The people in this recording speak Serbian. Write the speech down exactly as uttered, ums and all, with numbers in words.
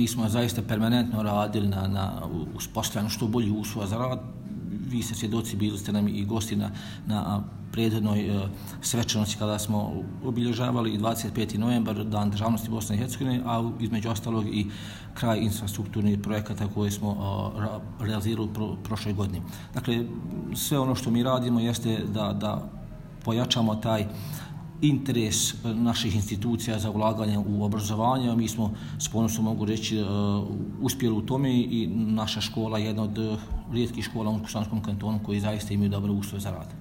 mi smo zaista permanentno radili na, na uspostavljanju što bolji uslova za rad. Vi ste svjedoci, bili ste nam i gosti na, na prethodnoj uh, svečanosti kada smo obilježavali dvadeset peti novembar, Dan državnosti Bosne i Hercegovine, a između ostalog i kraj infrastrukturnih projekata koje smo uh, realizirali pro, prošle godine. Dakle, sve ono što mi radimo jeste da, da pojačamo taj interes naših institucija za ulaganje u obrazovanje. Mi smo, s ponosom mogu reći, uspjeli u tome i naša škola je jedna od rijetkih škola u Kuštanskom kantonu koji zaista imaju dobre uslove za rad.